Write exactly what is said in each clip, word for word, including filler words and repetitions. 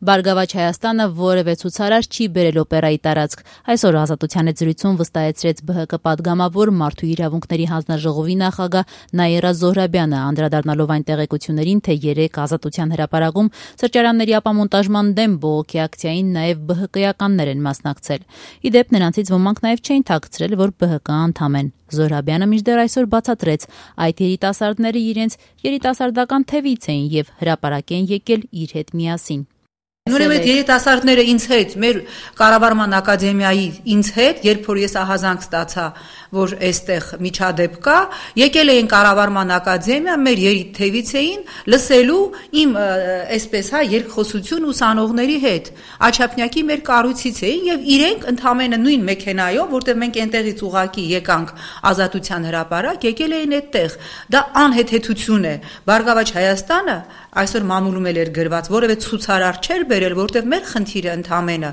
Բարգավաճ Հայաստանը որևէ ցուցարար չի բերել օպերայի տարածք։ Այսօր Ազատության հետ զրույցում վստահեցրեց Բը Հ Կ պատգամավոր Մարդու իրավունքների հանձնաժողովի նախագահ Նաիրա Զոհրաբյանը, անդրադառնալով այն տեղեկություններին, թե երեկ Ազատության հրապարակում սրճարանների ապամոնտաժման դեմ բողոքի ակցիային նաև Բը Հ Կյաններ են մասնակցել։ Ի դեպ, նրանցից ոմանք նաև չէին թաքցրել, որ Բը Հ Կ անդամ են։ Զոհրաբյանը մինչդեռ այսօր բացատրեց, այդ երիտասարդները իրենց երիտասարդական թևից էին եւ հրապարակ են եկել իր հետ միասին։ Նույնիսկ այդ երիտասարդները ինձ հետ, մեր կառավարման ակադեմիայի ինձ հետ, երբ որ ես ահազանգ ստացա, որ այստեղ միջադեպ կա, եկել էին կառավարման ակադեմիա, մեր երիտթևից էին լսելու իմ այսպես հա երկխոսություն ուսանողների հետ։ Աչափնյակի մեր կառույցից էին եւ իրենք ընդամենը նույն մեքենայով, որտեղ մենք այնտեղից ուղակի եկանք Ազատության հրապարակ, եկել էին այդտեղ։ Դա անհեթեթություն է։ Բարգավաճ Հայաստանը այսօր մամուլում էր գրված, որևէ ցուցարար չէր բերել, որտեղ մեր խնդիրը ընդամենը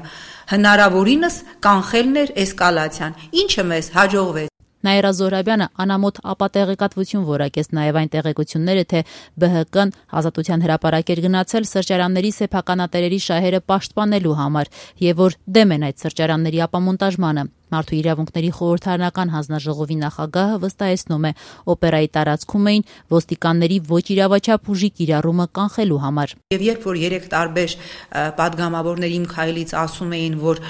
հնարավորինս կանխելն էր էսկալացիան, ինչը մեզ հաջողվեց։ Նաիրա Զոհրաբյանը անամոթ ապատեղեկատվություն որակեց նաև այն տեղեկությունները, թե Բը Հ Կն Ազատության հրապարակ էր գնացել սրճարանների սեփականատերերի շահերը պաշտպանելու համար եւ որ դեմ են այդ սրճարանների ապամոնտաժմանը։ Մարդու իրավունքների խորհրդարանական հանձնաժողովի նախագահը վստահեցնում է, օպերայի տարածքում էին ոստիկանների ոչ իրավաչափ ուժի կիրառումը կանխելու համար։ Եվ երբ որ երեք տարբեր պատգամավորների իմ քայլից ասում էին, որ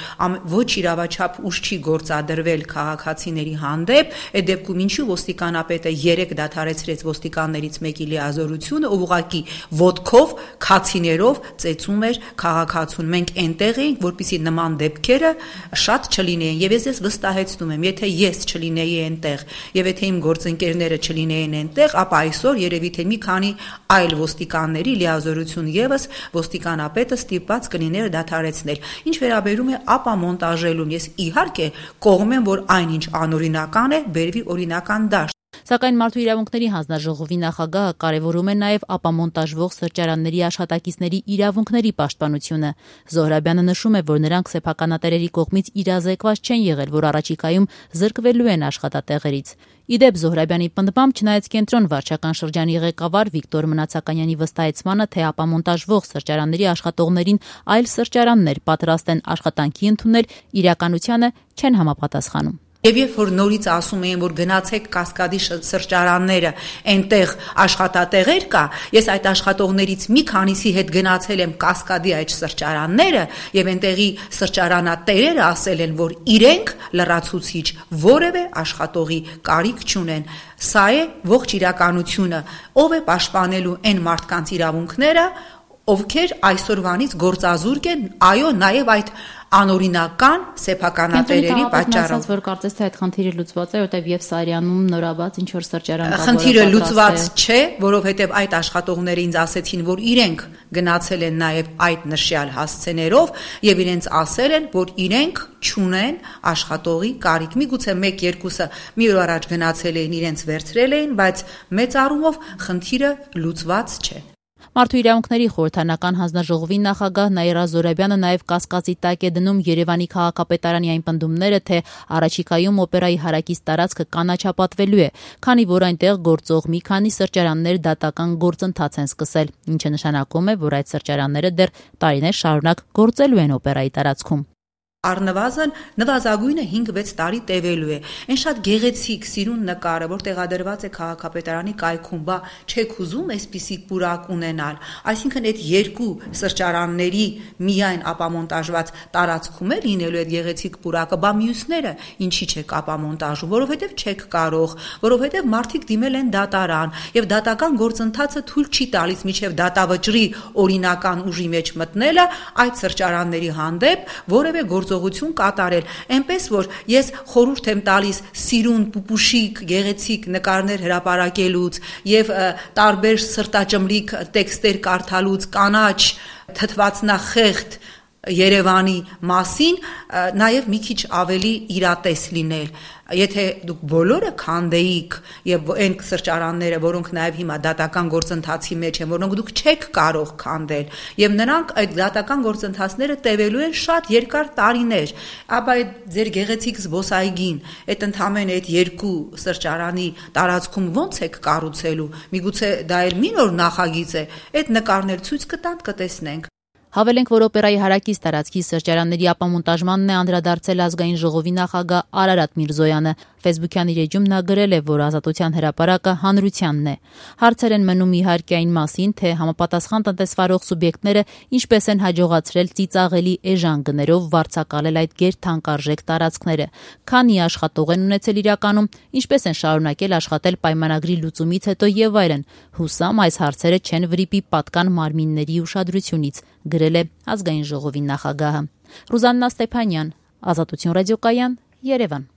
ոչ իրավաչափ ուժ չի գործադրվել քաղաքացիների հանդեպ, այդ դեպքում ինչու ոստիկանապետը երեք դադարեցրեց ոստիկաններից մեկի լիազորությունը, ով ուղղակի ոտքով, քացիներով ծեծում էր քաղաքացուն։ Մենք այնտեղ էինք, որպեսզի նման դեպքերը շատ չլինեին։ Եվ ես ես վստահեցնում եմ, եթե ես չլինեի այնտեղ, եւ եթե իմ գործընկերները չլինեին այնտեղ, ապա այսօր երևի թե մի քանի այլ ոստիկանների լիազորություն եւս ոստիկանապետը ստիպված կլիներ դադարեցնել։ Ինչ վերաբերում է ապամոնտաժելուն, ես իհարկե կողմ եմ, որ այնինչ անօրինական է, բերվի օրինական դաշտ։ Սակայն Մարդու իրավունքների հանձնաժողովի նախագահը կարևորում է նաև ապամոնտաժվող սրճարանների աշխատակիցների իրավունքների պաշտպանությունը։ Զոհրաբյանը նշում է, որ նրանք սեփականատերերի կողմից իրազեկված չեն եղել, որ առաջիկայում զրկվելու են աշխատատեղերից։ Ի դեպ, Զոհրաբյանի պնդմամբ, չնայած Կենտրոն վարչական շրջանի ղեկավար Վիկտոր Մնացականյանի վստահեցմանը, թե ապամոնտաժվող սրճարանների աշխատողներին այլ սրճարաններ պատրաստ են աշխատանքի ընդունել, իրականությանը չեն համապատասխանում։ Եվ երբ որ նորից ասում էին, որ գնացեք Կասկադի սրճարանները, այնտեղ աշխատատեղեր կա, ես այդ աշխատողներից մի քանիսի հետ գնացել եմ Կասկադի այդ սրճարանները, եւ այնտեղի սրճարանատերերը ասել են, որ իրենք լրացուցիչ որևէ աշխատողի կարիք չունեն։ Սա է ողջ իրականությունը, ով է պաշտպանելու այն մարդկանց իրավունքները, ովքեր այսօրվանից գործազուրկ են, այո, նաև այդ անօրինական սեփականատերերի պատճառով։ Որ կարծես թե այդ խնդիրը լուծված է, որտեղ եւ Սարյանում նորաբաց ինչ որ սրճարան կա, խնդիրը լուծված չէ, որովհետեւ այդ աշխատողները ինձ ասեցին, որ իրենք գնացել են նաև այդ նշյալ հասցեներով եւ իրենց ասել են, որ իրենք չունեն աշխատողի կարիք։ Միգուցե մեկ-երկուսը մի օր առաջ գնացել էին, իրենց վերցրել էին, բայց մեծ առումով խնդիրը լուծված չէ։ Մարդու իրավունքների խորհրդարանական հանձնաժողովի նախագահ Նաիրա Զոհրաբյանը նաև կասկածի տակ է դնում Երևանի քաղաքապետարանի այն պնդումները, թե առաջիկայում օպերայի հարակից տարածքը կանաչապատվելու է, քանի որ այնտեղ գործող մի քանի սրճարաններ դատական գործընթաց են սկսել, ինչը նշանակում է, որ այդ սրճարանները դեռ տարիներ շարունակ գործելու են օպերայի տարածքում։ Առնվազն նվազագույնը հինգ-վեց տարի տևելու է։ Այն շատ գեղեցիկ սիրուն նկարը, որ տեղադրված է քաղաքապետարանի կայքում, բա չեք ուզում այսպիսի պուրակ ունենալ։ Այսինքն այդ երկու սրճարանների միայն ապամոնտաժված տարածքում է լինելու այդ գեղեցիկ պուրակը, բա մյուսները ինչի չեք ապամոնտաժում, որովհետև չեք կարող, որովհետև մարդիկ դիմել են դատարան, եւ դատական գործընթացը թույլ չի տալիս միջև դատավճռի օրինական ուժի մեջ մտնելը այդ սրճարանների հանդեպ որևէ գործողություն կատարել, այնպես որ ես խորհուրդ եմ տալիս սիրուն, պուպուշիկ, գեղեցիկ նկարներ հրապարակելուց եւ տարբեր սրտաճմլիկ տեքստեր կարդալուց, կանաչ, թթվածնախեղդ Երևանի մասին, նաև մի քիչ ավելի իրատես լինել։ Եթե դուք բոլորը քանդեիք եւ այն սրճարանները, որոնք նաև հիմա դատական գործընթացի մեջ են, որոնք դուք չեք կարող քանդել, եւ նրանք այդ դատական գործընթացները տևելու են շատ երկար տարիներ, ապա այդ ձեր գեղեցիկ զբոսայգին, այդ ընդհանրապես այդ երկու սրճարանի տարածքում ո՞նց եք կառուցելու։ Միգուցե դա էլ մի նոր նախագիծ է, այդ նկարներ ցույց կտան, կտեսնենք։ Հավելենք, որ օպերայի հարակից տարածքի սրճարանների ապամոնտաժմանն է անդրադարձել ազգային ժողովի նախագահ Արարատ Միրզոյանը։ Facebook-յան իր էջում նա գրել է, որ Ազատության հրապարակը հանրությանն է։ Հարցեր են մնում իհարկե այն մասին, թե համապատասխան տնտեսվարող սուբյեկտները ինչպես են հաջողացրել ծիծաղելի էժան գներով վարձակալել այդ գերթանկարժեք տարածքները, քանի աշխատող են ունեցել իրականում, ինչպես են շարունակել աշխատել պայմանագրի լուծումից հետո եւ այլն։ Հուսամ այս հարցերը չեն վրիպի պատկան մարմինների ուշադրությունից, գրել է ազգային ժողովի նախագահը։ Ռուզաննա Ստեփանյան, Ազատություն ռադիոկայան, Երևան։